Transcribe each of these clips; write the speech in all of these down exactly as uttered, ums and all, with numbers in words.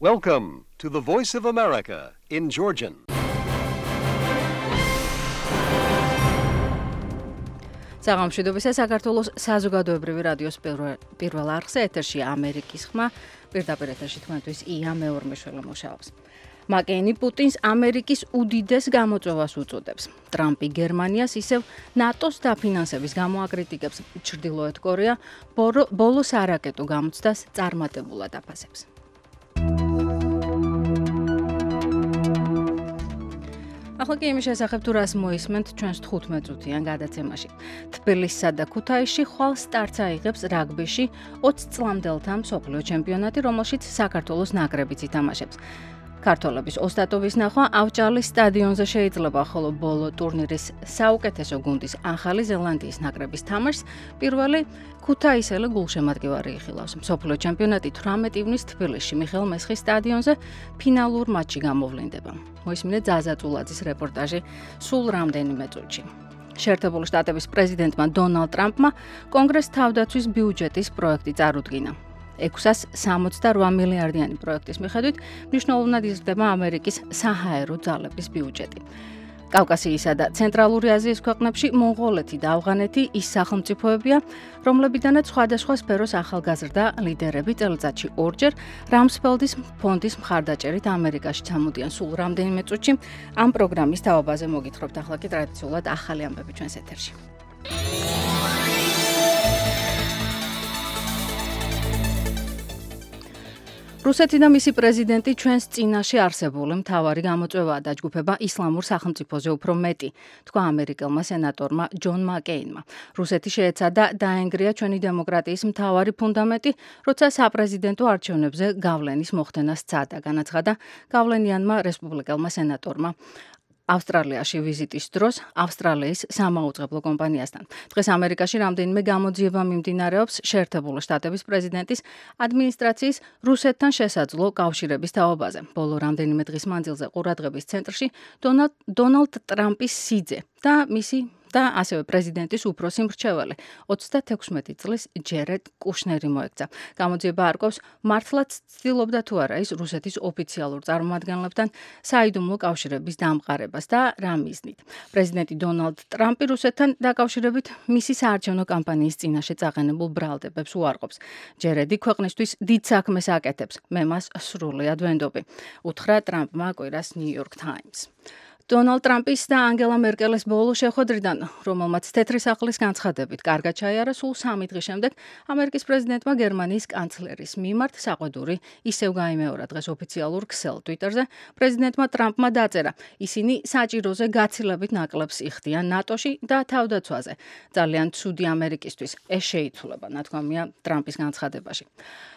Welcome to the Voice of America in Georgian. საღამოშვიდობისა საქართველოს საზოგადოებრივი რადიოს პირველ არხზე ეთერში ამერიკის ხმა პირდაპირ ეთერში თქვენთვის ია მეორმეშველი მუშაობს. მაკეინი პუტინს ამერიკის უდიდეს გამოწვევას უწოდებს. ტრამპი გერმანიას ისევ ნატოს დაფინანსების გამო აკრიტიკებს. ჩრდილოეთ კორეა ბოლოს არაკეტო გამოცდას წარმატებულად აფასებს. ახლა კი იმის შესახებ თუ რას მოისმენთ ჩვენს თხუთმეტ წუთიან გადაცემაში. თბილისსა და ქუთაისში ხვალ სტარტს აიღებს რაგბიში ოცი წლამდელთა მსოფლიო ჩემპიონატი, რომელშიც საქართველოს ნაკრებიც ითამაშებს. ქართველების ოსტატობის ნახვა ავჭალის სტადიონზე შეიძლება, ხოლო ბოლო ტურნირის საუკეთესო გუნდის ახალი ზელანდიის ნაკრების თამაშს პირველი ქუთაისელი გულშემატკივარი იხილავს. მსოფლიო ჩემპიონატი თვრამეტი ივნის თბილისში მიხეილ მესხის სტადიონზე ფინალურ მატჩი გამოვლინდება. მოისმინეთ ზაზა წულაძის რეპორტაჟი სულ რამდენიმე წუთში. შეერთებული შტატების პრეზიდენტმა დონალდ ტრამპმა კონგრესს თავდაცვის ბიუჯეტის პროექტი წარუდგინა. ექვსას სამოცდარვა მილიარდიანი პროექტის მიხედვით მნიშვნელოვნად იზრდება ამერიკის საჰაერო ძალების ბიუჯეტი. კავკასიისა და ცენტრალური აზიის ქვეყნებში მონღოლეთი და ავღანეთი ის სახელმწიფოებია, რომლებიდანაც სხვადასხვა სფეროს ახალგაზრდა ლიდერები წელიწადში ორჯერ რამსფელდის ფონდის მხარდაჭერით ამერიკაში ჩამოდიან. სულ რამდენიმე წუთში ამ პროგრამის თავობაზე მოგითხრობთ. ახლა კი ტრადიციულად ახალი ამბები ჩვენს ეთერში. რუსეთი და მისი პრეზიდენტი ჩვენს წინაშე არსებული მთავარი გამოწვევაა დაჯგუფება ისლამურ სახელმწიფოზე უფრო მეტი, თქვა ამერიკელმა სენატორმა ჯონ მაკეინმა. რუსეთი შეეცადა დაენგრია ჩვენი დემოკრატიის მთავარი ფუნდამენტი, როცა საპრეზიდენტო არჩევნებზე გავლენის მოხდენას სცადა, განაცხადა გავლენიანმა რესპუბლიკელმა სენატორმა. ავსტრალიაში ვიზიტის დროს ავსტრალიის სამაუწყებლო კომპანიასთან. დღეს ამერიკაში რამდენიმე გამოძიება მიმდინარეობს შეერთებული შტატების პრეზიდენტის ადმინისტრაციის რუსეთთან შესაძლო კავშირების თაობაზე. ბოლო რამდენიმე დღის მანძილზე ყურადღების ცენტრში დონალდ ტრამპის სიძე და მისი და ასევე პრეზიდენტის უფროსი მრჩეველი ოცდათექვსმეტი წლის ჯერედ კუშნერი მოექცა. გამოძიება არკვევს მართლაც ცდილობდა თუ არა ის რუსეთის ოფიციალურ წარმომადგენლებთან საიდუმლო კავშირების დამყარებას და რა მიზნით. პრეზიდენტი დონალდ ტრამპი რუსეთთან დაკავშირებით მისი საარჩევნო კამპანიის წინაშე წაყენებულ ბრალდებებს უარყოფს. ჯერედი ქვეყნისთვის დიდ საქმეს აკეთებს. მე მას სრულიად ვენდობი, უთხრა ტრამპმა კვირას New York Times. დონალდ ტრამპის და ანგელა მერკელის ბოლო შეხვედრიდან, რომელმაც თეთრი სახლის განცხადებით კარგად ჩაიარა, სულ სამი დღის შემდეგ ამერიკის პრეზიდენტმა გერმანიის კანცლერის მიმართ საყვედური ისევ გაიმეორა. დღეს ოფიციალურ ქსელ ტვიტერზე პრეზიდენტმა ტრამპმა დაწერა, ისინი საჭიროზე გაცილებით ნაკლებს იხდიან ნატოში და თავდაცვაზე. ძალიან ცუდი ამერიკისთვის ეს შეიცვლება, ნათქვამია ტრამპის განცხადებაში.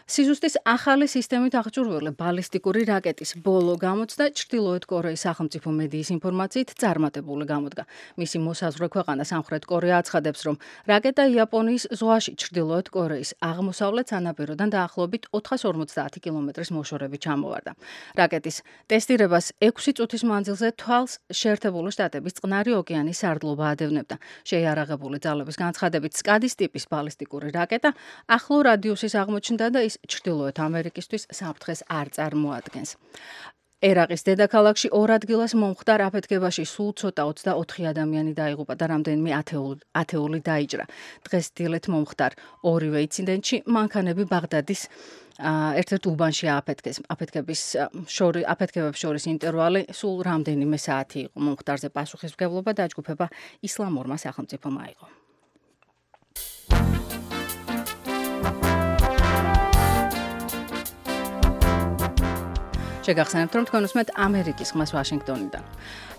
სიზუსტის ახალი სისტემით აღჭურვილი ბალისტიკური რაკეტის ბოლო გამოცდა ჩრდილოეთ კორეის სახელმწიფო მედიის ინფორმაციით წარმატებული გამოდგა. მისი მოსაზღვრე ქვეყანა სამხრეთ კორეა აცხადებს, რომ რაკეტა იაპონიის ზღვაში ჩრდილოეთ კორეის აღმოსავლეთ სანაპიროდან დაახლოებით ოთხას ორმოცდაათი კილომეტრის მოშორებით ჩამოვარდა. რაკეტის ტესტირებას ექვსი წუთის მანძილზე თვალს შეერთებული შტატების წყნარი ოკეანის სარდლობა ადევნებდა. შეიარაღებული ძალების განცხადებით სკადის ტიპის ბალისტიკური რაკეტა ახლო რადიუსის აღმოჩნდა და ის ჩრდილოეთ ამერიკისთვის საფრთხეს არ წარმოადგენს. ერაყის დედაქალაქში ორ ადგილას მომხდარ აფეთქებაში სულ ცოტა ოცდაოთხი ადამიანი დაიღუპა და რამდენიმე ათეული დაიჭრა. დღეს დილით მომხდარ ორივე ინციდენტში მანქანები ბაღდადის ერთ-ერთ უბანში ააფეთქეს. აფეთქების შორის აფეთქებებს შორის ინტერვალი სულ რამდენიმე საათი იყო. მომხდარზე პასუხისმგებლობა დაჯგუფება ისლამურმა სახელმწიფომ აიღო. შეგახსენებთ, რომ თქვენ უსმენთ ამერიკის ხმას ვაშინგტონიდან.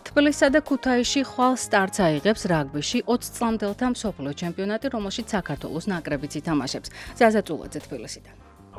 თბილისსა და ქუთაისში ხვალ სტარტს აიღებს რაგბიში ოცი წლამდელთა მსოფლიო ჩემპიონატი, რომელშიც საქართველოს ნაკრებიც ითამაშებს. ზაზა წულაძე თბილისიდან.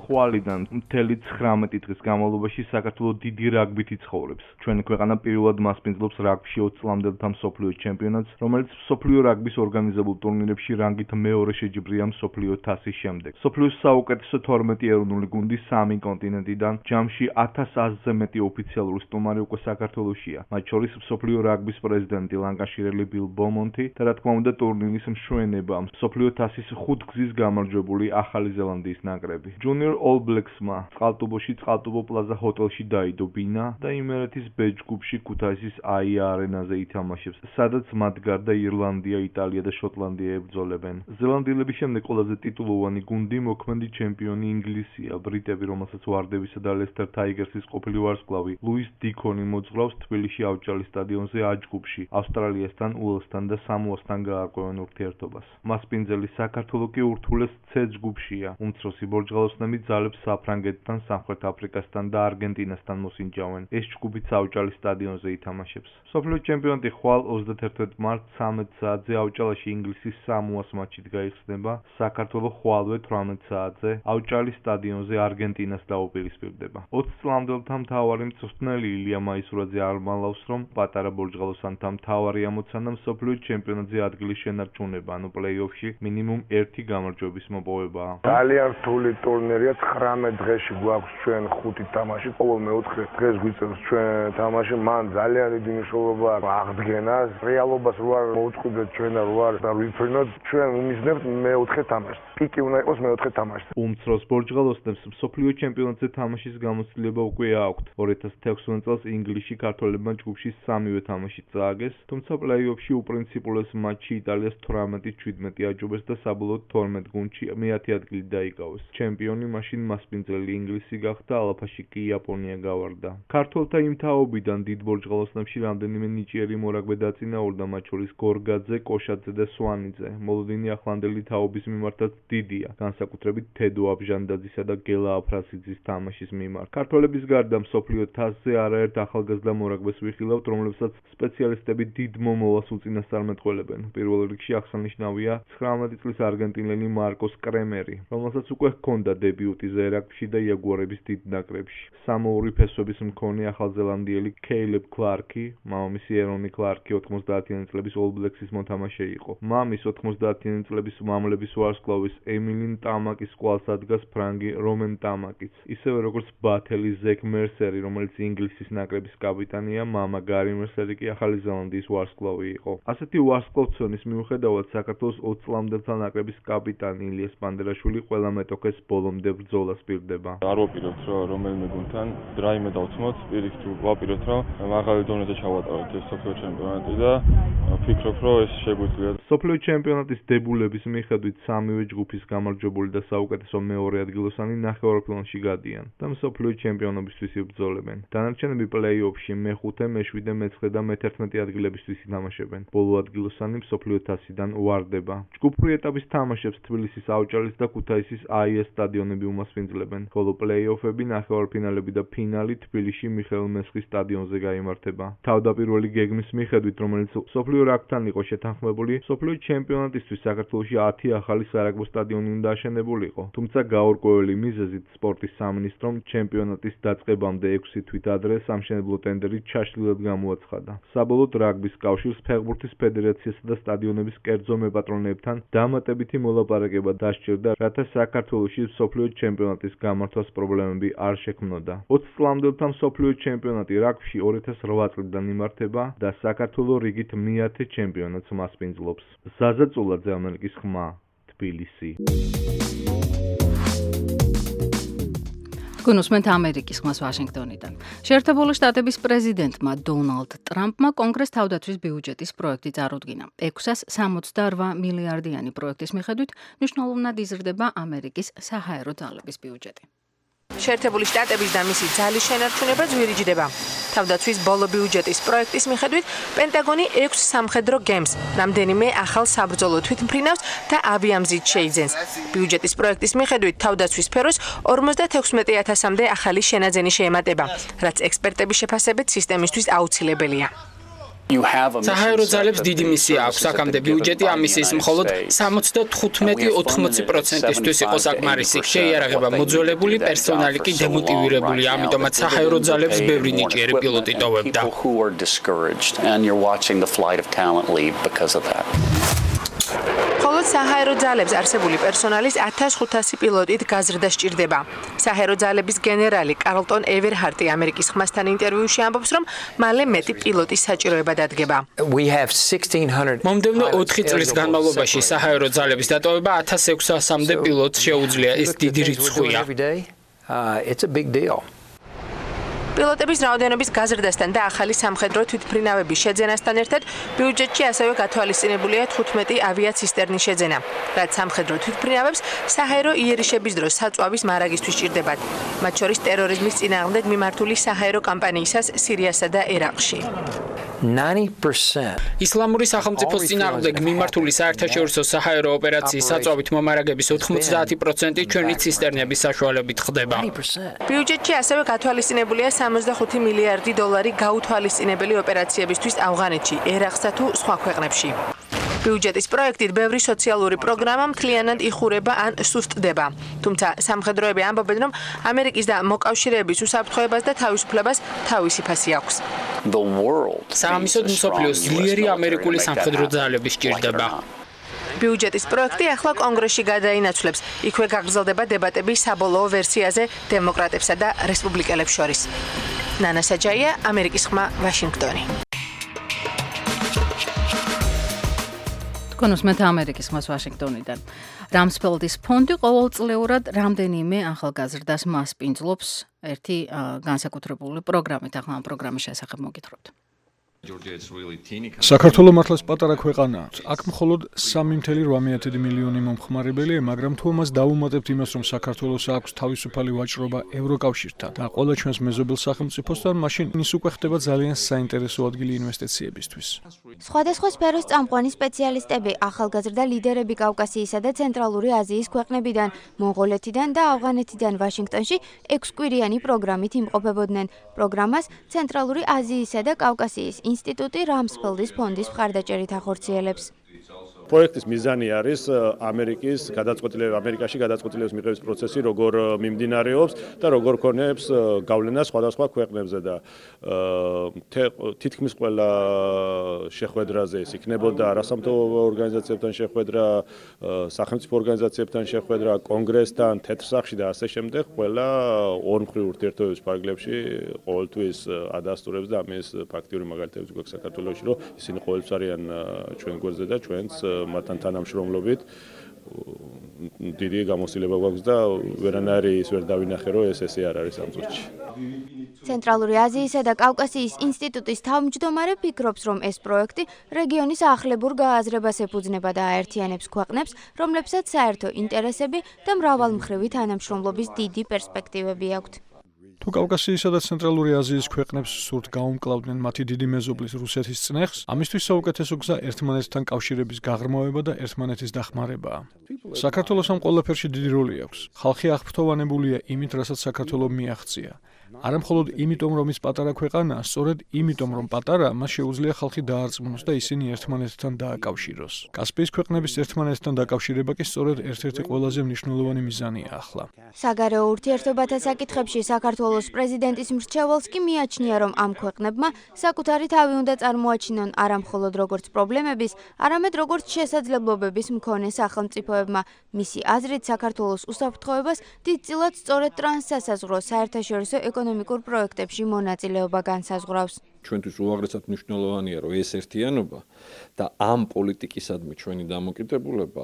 ხვალიდან მთელი ცხრამეტი დღის განმავლობაში საქართველოს დიდი რაგბით იცხოვრებს. ჩვენი ქვეყანა პირველად მასპინძლობს რაგბიში ოცი წლამდელთა მსოფლიო ჩემპიონატს, რომელიც მსოფლიო რაგბის ორგანიზებულ ტურნირებში რანგით მეორე შეჯიბრია მსოფლიო თასის შემდეგ. მსოფლიოს საუკეთესო თორმეტი ეროვნული გუნდი სამი კონტინენტიდან ჯამში ათას ათზე მეტი ოფიციალური სტუმარი უკვე საქართველოშია. მათ შორის მსოფლიო რაგბის პრეზიდენტი ლანკაშირელი ბილ ბომონთი და რა თქმა უნდა ტურნირის მშვენება მსოფლიო თასის ხუთგზის გამარჯვებული ახალი ზელანდიის ნაკრები. ჯუნიორ All Blacks-მა წყალტუბოში წყალტუბო პლაზა ჰოტელში დაიდო ბინა და იმერეთის ბ ჯგუფში ქუთაისის აია არენაზე ითამაშებს, სადაც მათ გარდა ირლანდია, იტალია და შოტლანდია ებრძოლებენ. ზელანდიელების შემდეგ ყველაზე ტიტულოვანი გუნდი მოქმედი ჩემპიონი ინგლისია. ბრიტები, რომელსაც ვარდებისა და ლესტერ ტაიგერსის ყოფილი ვარსკვლავი ლუის დიქონი მოძღვრავს თბილისში ავჭალის სტადიონზე A ჯგუფში, ავსტრალიასთან, უელსთან და სამოასთან გაარკვევენ ურთიერთობას. მასპინძელი საქართველო კი ურთულეს C ჯგუფშია. უმცროსი ბორჯღალოსნები ძალებს საფრანგეთთან, სამხრეთ აფრიკასთან და არგენტინასთან მოსინჯავენ. ეს ჯგუფიც ავჭალის სტადიონზე ითამაშებს. მსოფლიო ჩემპიონატი ხვალ ოცდაათი მარტს ცამეტ საათზე ავჭალაში ინგლისის სამოას მატჩით გაიხსნება. საქართველო ხვალვე თვრამეტ საათზე ავჭალის სტადიონზე არგენტინას დაუპირისპირდება. ოცი წლამდელთა მთავარი მწვრთნელი ილია მაისურაძე არ მალავს, რომ პატარა ბორჯღალოსანთა მთავარი ამოცანა მსოფლიო ჩემპიონატზე ადგილის შენარჩუნება, ანუ პლეი-ოფში მინიმუმ ერთი გამარჯვების მოპოვებაა. ძალიან რთული ტურნირია, ცხრამეტ დღეში გვაქვს ჩვენ ხუთი თამაში, ყოველ მეოთხე დღეს გვიწევს ჩვენ თამაში, მან ძალიან დიდი მნიშვნელობა აღდგენას, რეალობას რო არ მოუწყვიდეთ ჩვენ და რო არ დავიფრინოთ, ჩვენ ვიმიზნებთ მეოთხე თამაშს. პიკი უნდა იყოს მეოთხე თამაში. უმცროს ბორჯღალოსნებს მსოფლიო ჩემპიონატზე თამაშის გამოცდილება უკვე აქვთ. ორი ათას თექვსმეტ წელს ინგლისში ქართველებმა ჯგუფში სამივე თამაში წააგეს, თუმცა პლეი-ოფში უპრინციპულეს მატჩი იტალიას თვრამეტი შვიდმეტი აჯობეს და საბოლოოდ თორმეტ გუნდში მეათე ადგილი დაიკავეს. ჩემპიონი მაშინ მასპინძელი ინგლისი გახდა, ალაფაში კი იაპონია გავარდა. ქართველთა იმ თაობიდან დიდ ბორჯღალოსნებში რამდენიმე ნიჭიერი მორაგბე დაწინაურდა, მათ შორის გორგაძე, კოშაძე და სვანიძე. მოლოდინი ახლანდელი თაობის მიმართაც დიდია, განსაკუთრებით თედო აბჟანდაძისა და გელა აფრასიძის თამაშის მიმართ. ქართველების გარდა მსოფლიო თასზე არაერთ ახალგაზრდა მორაგბეს ვიხილავთ, რომლებსაც სპეციალისტები დიდ მომავალს უწინასწარმეტყველებენ. პირველ რიგში აღსანიშნავია ცხრამეტი წლის არგენტინელი მარკოს კრემერი, რომელსაც უკვე ჰქონდა დებიუტი ზერაგში და იაგუარების დიდ ნაკრებში. სამოური ფესვების მქონე ახალზელანდიელი კეილებ კლარკი, მამამისი ერონი კლარკი ოთხმოცდაათიანი წლების All Blacks-ის მოთამაშე იყო. მამის ოთხმოცდაათიანი წლების მამლების ვარსკვლავის ემილინ ტამაკის ყვალს ადგას ფრანგი რომენ ტამაკიც. ისევე როგორც ბათელი ზეკ მერსერი, რომელიც ინგლისის ნაკრების კაპიტანია, მამა გარი მერსერი კი ახალი ზელანდიის ვარსკვლავი იყო. ასეთი ვარსკვლავთწონის მიუხედავად საქართველოს ოცი წლამდელთა ნაკრების კაპიტანი ილიას პანდერაშვილი ყველა მეტოქეს ბოლომდე ბრძოლას პირდება. არ ვაპირებთ, რომ რომელიმე გუნდთან რაიმე დავცმოთ, პირიქით ვაპირებთ, რომ მაღალი დონეზე ჩავატაროთ ეს მსოფლიო ჩემპიონატი და ვფიქრობ, რომ ეს შეგვიძლია. მსოფლიო ჩემპიონატის დებულების მიხედვით სამივე ჯგუფის გამარჯვებული და საუკეთესო მეორე ადგილოსანი ნახევარფინალში გადიან და მსოფლიო ჩემპიონობისთვის იბრძოლებენ. დანარჩენები პლეი-ოფში მეხუთე, მეშვიდე, მეცხრე და მეთერთმეტე ადგილებისთვის ითამაშებენ. ბოლო ადგილოსანი მსოფლიო თასიდან ვარდება. ჯგუფური ეტაპის თამაშებს თბილისის ავჭალის და ქუთაისის აია სტადიონები უმასპინძლებენ, ხოლო პლეი-ოფები, ნახევარფინალები და ფინალი თბილისში მიხეილ მესხის სტადიონზე გაიმართება. თავდაპირველი გეგმის მიხედვით, რომელიც მსოფლიო რაგბთან იყო შეთანხმებული, მსოფლიო ჩემპიონატისთვის საქართველოში ათი ახალი სარაგბო სტადიონი უნდა აშენებულიყო. თუმცა გაურკვეველი მიზეზით სპორტის სამინისტრომ ჩემპიონატის დაწყებამდე ექვსი თვით ადრე სამშენებლო ტენდერი ჩაშლილად გამოაცხადა. საბოლოოდ რაგბის კავშირს, ფეხბურთის ფედერაციასა და სტადიონების კერძო მეპატრონეებთან დამატებითი მოლაპარაკება დასჭირდა, რათა საქართველოში მსოფლიო ჩემპიონატის გამართვას პრობლემები არ შექმნოდა. ოცი წლამდელთა მსოფლიო ჩემპიონატი რაგბში ორი ათას რვა წლიდან იმართება და საქართველო რიგით მეათე ჩემპიონატს მასპინძლობს. ზაზა წულაძე, ამერიკის ხმა, თბილისი. გუნუსმენთ ამერიკის ხმას ვაშინგტონიდან. შეერთებული შტატების პრეზიდენტმა დონალდ ტრამპმა კონგრეს თავდაცვის ბიუჯეტის პროექტი წარუდგინა. ექვსას სამოცდაორვა მილიარდიანი პროექტის მიხედვით მნიშვნელოვნად იზრდება ამერიკის საჰაერო ძალების ბიუჯეტი. შეერთებული შტატების და მისი ძალის შენარჩუნება ძვირიჯდება. თავდაცვის ბოლო ბიუჯეტის პროექტის მიხედვით პენტაგონი ექვს სამხედრო გემს, რამდენიმე ახალ საბრძოლო თვითმფრინავს და ავიამზით შეიძენს. ბიუჯეტის პროექტის მიხედვით თავდაცვის სფეროს ორმოცდათექვსმეტი ათასამდე ახალი შენაძენი შეემატება, რაც ექსპერტების შეფასებით სისტემისთვის აუცილებელია. საჰაერო ძალებს დიდი მისია აქვს, აქამდე ბიუჯეტი ამ მისიის მხოლოდ სამოცდათხუთმეტი ოცდაოთხ პროცენტისთვის იყო საკმარისი. შეიარაღება მოძველებული, პერსონალი კი დემოტივირებული, ამიტომაც საჰაერო ძალებს ბევრი ნიჭიერი პილოტი ტოვებდა. ხოლო საჰაერო ძალებს არსებული პერსონალის ათას ხუთასი პილოტით გაზრდა სჭირდება. საჰაერო ძალების გენერალი კარლტონ ევერჰარტი ამერიკის ხმასთან ინტერვიუში ამბობს, რომ მალე მეტი პილოტის საჭიროება დადგება. მომდევნო ოთხი წლის განმავლობაში საჰაერო ძალების დატოვება ათას ექვსასამდე პილოტს შეუძლია. ეს დიდი რიცხვია. Uh, it's a big deal. პილოტების რაოდენობის გაზრდასთან და ახალი სამხედრო თვითმფრინავების შეძენასთან ერთად ბიუჯეტში ასევე გათვალისწინებულია თხუთმეტი ავიაცისტერნის შეძენა, რაც სამხედრო თვითმფრინავებს საჰაერო იერიშების დროს საწვავის მარაგისთვის სჭირდებათ, მათ შორის ტერორიზმის წინააღმდეგ მიმართული საჰაერო კამპანიისას სირიასა და ერაყში. ninety percent ისლამური სახელმწიფოს წინააღმდეგ მიმართული საერთაშორისო საჰაერო ოპერაციის საწვავით მომარაგების ოთხმოცდაათი პროცენტი ჩვენი ცისტერნების საშუალებით ხდება. ბიუჯეტში ასევე გათვალისწინებულია სამოცდახუთი მილიარდი დოლარი გაუთვალისწინებელი ოპერაციებისთვის ავღანეთში, ერაყსა თუ სხვა ქვეყნებში. ბიუჯეტის პროექტით ბევრი სოციალური პროგრამა მთლიანად იხურება ან სუსტდება. თუმცა სამხედროები ამბობენ, რომ ამერიკის და მოკავშირეების უსაფრთხოებას და თავისუფლებას თავისი ფასი აქვს. საამისოდ მსოფლიოს ძლიერი ამერიკული სამხედრო ძალები სჭირდება. ბიუჯეტის პროექტი ახლა კონგრესში გადაინაცვლებს. იქვე გაგრძელდება დებატები საბოლოო ვერსიაზე დემოკრატებსა და რესპუბლიკელებს შორის. ნანა საჯაია, ამერიკის ხმა, ვაშინგტონი. კონუსმეთ ამერიკის ხმას ვაშინგტონიდან. რამსფელდის ფონდი ყოველწლიურად რამდენიმე ახალგაზრდას მასპინძლობს ერთი განსაკუთრებული პროგრამით. ახლა ამ პროგრამის შესახებ მოგითხრობთ. საქართველო მართლაც პატარა ქვეყანაა. აქ მხოლოდ სამი მცდელო რვამეათი მილიონი მომხმარებელია, მაგრამ თუ ამას დავუმატებთ იმას, რომ საქართველოს აქვს თავისუფალი ვაჭრობა ევროკავშირთან და ყველა ჩვენს მეზობელ სახელმწიფოსთან, მაშინ ის უკვე ხდება ძალიან საინტერესო ადგილი ინვესტიციებისთვის. სხვადასხვა სფეროს წამყვანი სპეციალისტები, ახალგაზრდა ლიდერები კავკასიისა და ცენტრალური აზიის ქვეყნებიდან, მონღოლეთიდან და ავღანეთიდან ვაშინგტონში ექვსკვირიანი პროგრამით იმყოფებოდნენ. პროგრამას ცენტრალური აზიისა და კავკასიის ინსტიტუტი რამსფელდის ფონდის მხარდაჭერით ახორციელებს. პროექტის მიზანი არის ამერიკის გადაწყვეტილების ამერიკაში გადაწყვეტილების მიღების პროცესი როგორ მიმდინარეობს და როგორ ქონებს გავლენა სხვადასხვა ქვეყნებზე და თითქმის ყველა შეხვედრაზე ის იქნებოდა არასამთავრობო ორგანიზაციებთან შეხვედრა, სახელმწიფო ორგანიზაციებთან შეხვედრა, კონგრესთან, თეთრ სახლში და ასე შემდეგ, ყველა ორმხრივ ურთიერთობების ფარგლებში ყოველთვის ადასტურებს და ამის ფაქტიური მაგალითებიც გვაქვს საქართველოში, რომ ისინი ყოველთვის არიან ჩვენ გვერდზე და ჩვენც მათთან თანამშრომლობით დიდი გამოცდილება გვაქვს და ვერანაირი ის ვერ დავინახე, რომ ეს ესე არ არის ამ წუთში. ცენტრალური აზიისა და კავკასიის ინსტიტუტის თავმჯდომარე ფიქრობს, რომ ეს პროექტი რეგიონის ახლებურ გააზრებას ეფუძნება და აერთიანებს ქვეყნებს, რომლებსაც საერთო ინტერესები და მრავალმხრივი თანამშრომლობის დიდი პერსპექტივები აქვთ. თუ კავკასიისა და ცენტრალური აზიის ქვეყნებს სურთ გაუმკლავდნენ მათი დიდი მეზობლის რუსეთის წნეხს, ამისთვის საუკეთესო გზა ერთმანეთთან კავშირების გაღრმავება და ერთმანეთის დახმარებაა. საქართველოს ამ ყველაფერში დიდი როლი აქვს. ხალხი აღფრთოვანებულია იმით, რასაც საქართველომ მიაღწია. არა მხოლოდ იმიტომ, რომ ის პატარა ქვეყანაა, სწორედ იმიტომ, რომ პატარა, მას შეუძლია ხალხი დაარწმუნოს და ისინი ერთმანეთთან დააკავშიროს. კასპიის ქვეყნების ერთმანეთთან დაკავშირება კი სწორედ ერთ-ერთი ყველაზე მნიშვნელოვანი მიზანია ახლა. საგარეო ურთიერთობათა საკითხებში საქართველოს პრეზიდენტის მრჩეველს კი მიაჩნია, რომ ამ ქვეყნებმა საკუთარი თავი უნდა წარმოაჩინონ არა მხოლოდ როგორც პრობლემების, არამედ როგორც შესაძლებლობების მქონე სახელმწიფოებმა. მისი აზრით, საქართველოს უსაფრთხოებას დიდწილად სწორედ ტრანსსასაზღვრო საერთაშორისო ეკონომიკურ პროექტებში მონაწილეობა განსაზღვრავს. ჩვენთვის უაღრესად მნიშვნელოვანია, რომ ეს ერთიანობა და ამ პოლიტიკისადმი ჩვენი დამოკიდებულება,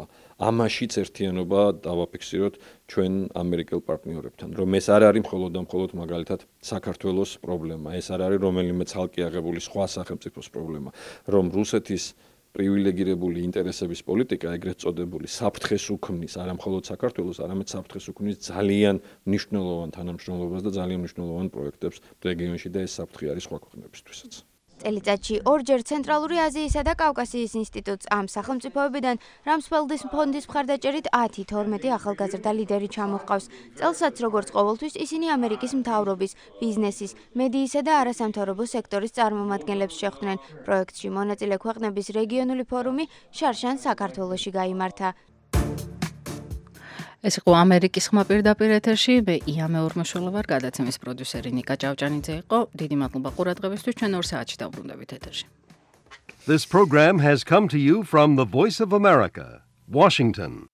ამაშიც ერთიანობა დავაფიქსიროთ ჩვენ ამერიკელ პარტნიორებთან, რომ ეს არ არის მხოლოდ და მხოლოდ მაგალითად საქართველოს პრობლემა, ეს არ არის რომელიმე ცალკე აღებული სხვა სახელმწიფოს პრობლემა, რომ რუსეთის პრივილეგირებული ინტერესების პოლიტიკა, ეგრეთ წოდებული საფრთხეს უქმნის არა მხოლოდ საქართველოს, არამედ საფრთხეს უქმნის ძალიან მნიშვნელოვან თანამშრომლობას და ძალიან მნიშვნელოვან პროექტებს რეგიონში და ეს საფრთხე არის სხვა ქვეყნებისთვისაც. წელიწადში ორჯერ ცენტრალური აზიისა და კავკასიის ინსტიტუტს ამ სახელმწიფოებიდან რამსფელდის ფონდის მხარდაჭერით ათი თორმეტი ახალგაზრდა ლიდერი ჩამოჰყავს. წელსაც როგორც ყოველთვის ისინი ამერიკის მთავრობის, ბიზნესის, მედიისა და არასამთავრობო სექტორის წარმომადგენლებს შეხვდნენ. პროექტში მონაწილე ქვეყნების რეგიონული ფორუმი შარშან საქართველოში გაიმართა. ეს იყო ამერიკის ხმა პირდაპირ ეთერში, მე ია მეორმაშოლა ვარ, გადაცემის პროდიუსერი ნიკა ჭავჭანიძე იყო. დიდი მადლობა ყურადღებისთვის, ჩვენ ორ საათში დავბრუნდებით ეთერში. This program has come to you from the Voice of America, Washington.